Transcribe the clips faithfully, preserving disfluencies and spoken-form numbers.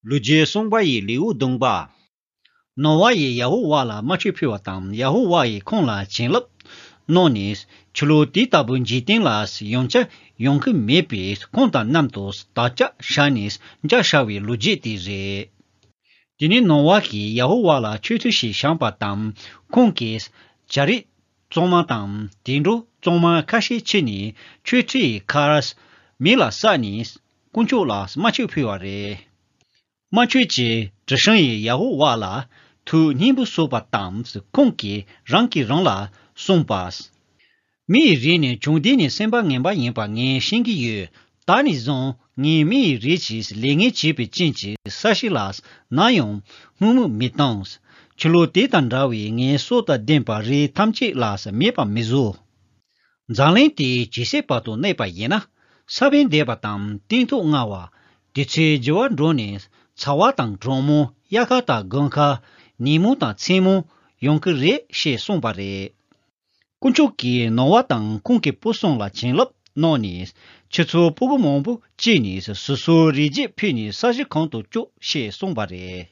ལོ་རྒྱུས་གསུངས་པ་ཡི་ལེའུ་བདུན་པ། ནོ་བ་ཡིས་ཡ་ཧོ་ཝཱ་ལ་དམར་མཆོད་ཕུལ་བ་དང་ཡ་ཧོ་ཝཱ་ཡིས་ཁོང་ལ་བྱིན་རླབས་གནང་ནས་ཆུ་ལོག་དེ་ལྟ་བུ་འཇིག་རྟེན་ལ་ཡང་བསྐྱར་ཡོང་གི་མེད་པས་ཁོང་དང་མཉམ་དུ་དམ་བཅའ་བཞག་ནས་འཇའ་ཤར་བའི་ལོ་རྒྱུས་དེ་རེད། དེ་ནས་ནོ་བ་གིས་ཡ་ཧོ་ཝཱ་ལ་མཆོད་ཁྲི་ཞིག་བཞེངས་པ་དང་ཁོང་གིས་བྱ་རིགས་གཙང་མ་དང་དུད་འགྲོ་གཙང་མ་ཁ་ཤས་ཁྱེར་ནས་མཆོད་ཁྲིའི་ཁར་མེ་ལ་བསྲེགས་ནས་དཀོན་མཆོག་ལ་དམར་མཆོད་ཕུལ་བ་རེད། དམར་མཆོད་ཀྱི་དྲི་ཞིམ་ཡིས་ཡ་ཧོ་ཝཱ་ལ་ཐུགས་མཉེས་པོ་གསོལ་བ་དང་ཁོང་གིས་རང་གིས་རང་ལ་གསུངས་པ། མི་ཡི་རིགས་ནི་བྱུང་འདི་ནི་སེམས་པ་ངན་པ་ཡིན་པ་ངས་ཤེས་ཀྱི་ཡོད། ད་ནས་བཟུང་ངས་མི་ཡི་རིགས་ཀྱིས་ལས་ངན་བྱས་པའི་རྐྱེན་གྱིས་ས་གཞི་ལ་ནམ་ཡང་དམོད་མོ་མི་གཏོང་། ཆུ་ལོག་དེ་དང་འདྲ་བའི་ངན་སོང་དང་ལྡན་པ་རིགས་ཐམས་ཅད་ལ་མེད་པ་མི་བཟོ། འཛམ་གླིང་དེ་ཇི་སྲིད་བར་དུ་གནས་པ་ཡིན་ན་ས་བོན་འདེབས་པ་དང་སྟོན་ཐོག་བརྔ་བ། དུས་ཚོད་འགྱུར་བ་འགྲོ་ནས་ཚ་བ་དང་གྲང་མོ་དབྱར་ཁ་དང་དགུན་ཁ་ཉིན་མོ་དང་མཚན་མོ་ཡོང་གི་རེད་ཞེས་གསུངས་པ་རེད། དཀོན་མཆོག་གིས་ནོ་བ་དང་ཁོང་གི་བུ་གསུམ་ལ་བྱིན་རླབས་གནང་ནས་ཁྱེད་ཚོ་ཕྲུ་གུ་མང་པོ་སྐྱེས་ནས་སོ་སོའི་རིགས་རྒྱུད་འཕེལ་ནས་ས་གཞི་གང་དུ་སྐྱོད་ཞེས་གསུངས་པ་རེད།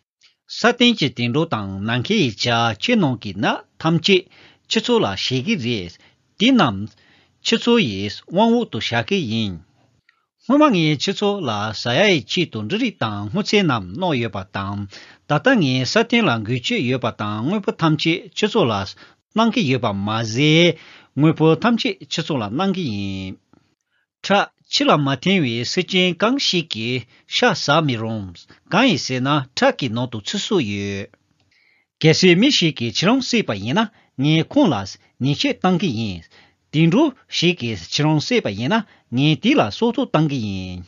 ས་སྟེང་གི་དུད་འགྲོ་དང་ནམ་མཁའི་ཡི་བྱ་ཆུ་ནང་གི་ཉ་ཐམས་ཅད་ཁྱེད་ཚོ་ལ་བྱིན་གྱི་རེད། དེ་རྣམས་ཁྱེད་ཚོ་ཡི་དབང་འོག་ཏུ་བཞག་གི་ཡིན། སྔོན་མ་ངས་ཁྱེད་ཚོ་ལ་ཟ་ཡ་ཡི་ཆེད་དུ་འབྲུ་རིགས་དང་སྔོ་ཚལ་རྣམས་གནང་ཡོད་པ་དང་། ད་ལྟ་ངས་ས་སྟེང་ལ་འགུལ་སྐྱོད་ཡོད་པ་དང་དངོས་པོ་ཐམས་ཅད་ཁྱེད་ཚོ་ལ་གནང་གི་ཡོད་པ་མ་ཟད། དངོས་པོ་ཐམས་ཅད་ཁྱེད་ཚོ་ལ་གནང་གི་ཡིན། ཁྲག་ཕྱི་ལ་མ་འཐེན་པའི་སེམས་ཅན་གང་ཞིག་གིས་ཤ་ཟ་མི་རུང་། གང་ཡིན་ཟེར་ན་ཁྲག་གི་ནང་དུ་ཚེ་སྲོག་ཡོད། གལ་སྲིད་མི་ཞིག་གིས་ཁྱེད་རང་བསད་པ་ཡིན་ན་ངས་ཁོང་ལ་ཉེས་ཆད་གཏང་གི་ཡིན། དུད་འགྲོ་ཞིག་གིས་ཁྱེད་རང་བསད་པ་ཡིན་ན་ངས་དེ་ལ་སྲོག་ཐོག་གཏང་གི་ཡིན།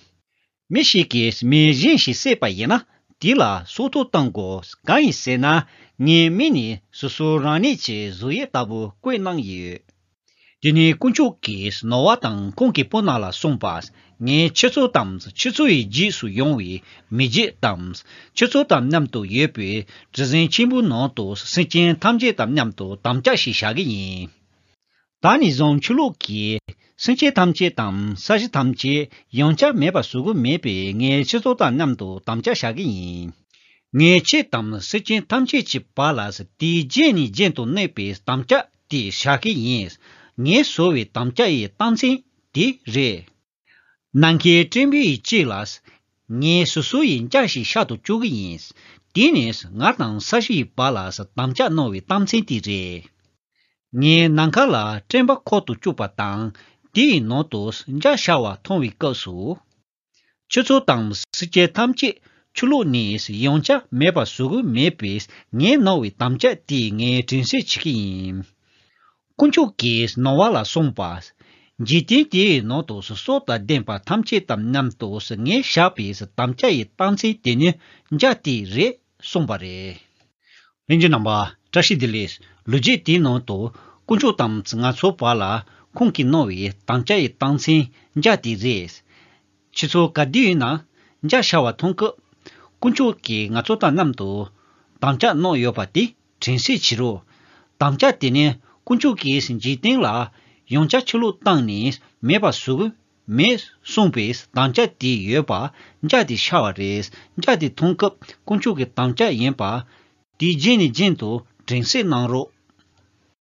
མི་ཞིག་གིས་མི་གཞན་ཞིག་བསད་པ་ཡིན་ན་དེ་ལ་སྲོག་ཐོག་གཏང་དགོས། གང་ཡིན་ཟེར་ན་ངས་མི་ནི་སོ་སོ་རང་ཉིད་ཀྱི་གཟུགས་དབྱིབས་ལྟ་བུ་བཀོད་གནང་ཡོད། དེ་ནས་དཀོན་མཆོག་གིས་ནོ་བ་དང་ཁོང་གི་སྤུན་རྣམས་ལ་གསུངས་པ། ངས་ཁྱེད་ཚོ་དང་ཁྱེད་ཚོ་ཡི་རྗེས་སུ་ཡོང་བའི་མི་རྒྱུད་དང་། ཁྱེད་ཚོ་དང་མཉམ་དུ་ཡོད་པའི་གྲུ་གཟིངས་ཆེན་པོའི་ནང་དུ་སེམས་ཅན་ཐམས་ཅད་དང་མཉམ་དུ་དམ་བཅའ་ཞིག་བཞག་གི་ཡིན། ད་ནས་བཟུང་ཆུ་ལོག་གིས་སེམས་ཅན་ཐམས་ཅད་དང་ས་གཞི་ཐམས་ཅད་ཡང་བསྐྱར་མེད་པར་བཟོ་གི་མེད་པས་ངས་ཁྱེད་ཚོ་དང་མཉམ་དུ་དམ་བཅའ་བཞག་གི་ཡིན། ངས་ཁྱེད་དང་སེམས་ཅན་ཐམས་ཅད་ཀྱི་བར་ལ་དུས་རྒྱུན་ནས་རྒྱུན་དུ་གནས་པའི་དམ་བཅའ་དེ་བཞག་གི་ཡིན། ངས་བཟོ་བའི་དམ་བཅའ་ཡི་རྟགས་མཚན་དེ་རེད། ནམ་མཁའི་སྤྲིན་པའི་དཀྱིལ་ལ་ངས་སོ་སོ་ཡི་འཇའ་ཞིག་ཤར་དུ་བཅུག་གི་ཡིན། དེ་ནི་ང་དང་ས་གཞི་ཡི་བར་ལ་དམ་བཅའ་གནང་བའི་རྟགས་མཚན་དེ་རེད། ངས་ནམ་མཁའ་ལ་སྤྲིན་པ་འཁོར་དུ་བཅུག་པ་དང་དེའི་ནང་དུ་འཇའ་ཤར་བ་མཐོང་བའི་སྐབས་སུ། ཁྱེད་ཚོ་དང་སེམས་ཅན་ཐམས་ཅད་ཆུ་ལོག་ནས་ཡང་བསྐྱར་མེད་པར་བཟོ་གི་མེད་པས་ངས་གནང་བའི་དམ་བཅའ་དེ་ངས་དྲན་གསོ་བྱེད་ཀྱི་ཡིན། དཀོན་མཆོག་གིས་ནོ་བ་ལ་གསུངས་པ། འཇིག་རྟེན་དེའི་ནང་དུ་སྲོག་དང་ལྡན་པ་ཐམས་ཅད་དང་མཉམ་དུ་ངས་བཞག་པའི་དམ་བཅའ་ཡི་རྟགས་མཚན་དེ་ནི་འཇའ་དེ་རེད་གསུངས་པ་རེད། ལྷན་རྒྱས་རྣམ་པ་བཀྲ་ཤིས་བདེ་ལེགས། ལོ་རྒྱུས་དེའི་ནང་དུ་དཀོན་མཆོག་དང་ང་ཚོའི་བར་ལ་ཁོང་གིས་གནང་བའི་དམ་བཅའ་ཡི་རྟགས་མཚན་འཇའ་དེ་རེད། ཁྱེད་ཚོ་ག་དུས་ཡིན་ན་འཇའ་ཤར་བ་མཐོང་སྐབས། དཀོན་མཆོག་གིས་ང་ཚོ་དང་མཉམ་དུ་དམ་བཅའ་གནང་ཡོད་པ་དེ་དྲན་གསོ་བྱེད་རོགས། དམ་བཅའ་དེ་ནི་དཀོན་མཆོག་གིས་འཇིག་རྟེན་ལ་ཡང་བསྐྱར་ཆུ་ལོག་བཏང་ནས་མེད་པར་བཟོ་གི་མེད་གསུངས་པའི་དམ་བཅའ་དེ་ཡོད་པ་འཇའ་དེ་ཤར་བ་རེད། འཇའ་དེ་མཐོང་སྐབས་དཀོན་མཆོག་གི་དམ་བཅའ་ཡིན་པ་དེ་རྗེས་ནས་རྒྱུན་དུ་དྲན་གསོ་གནང་རོགས།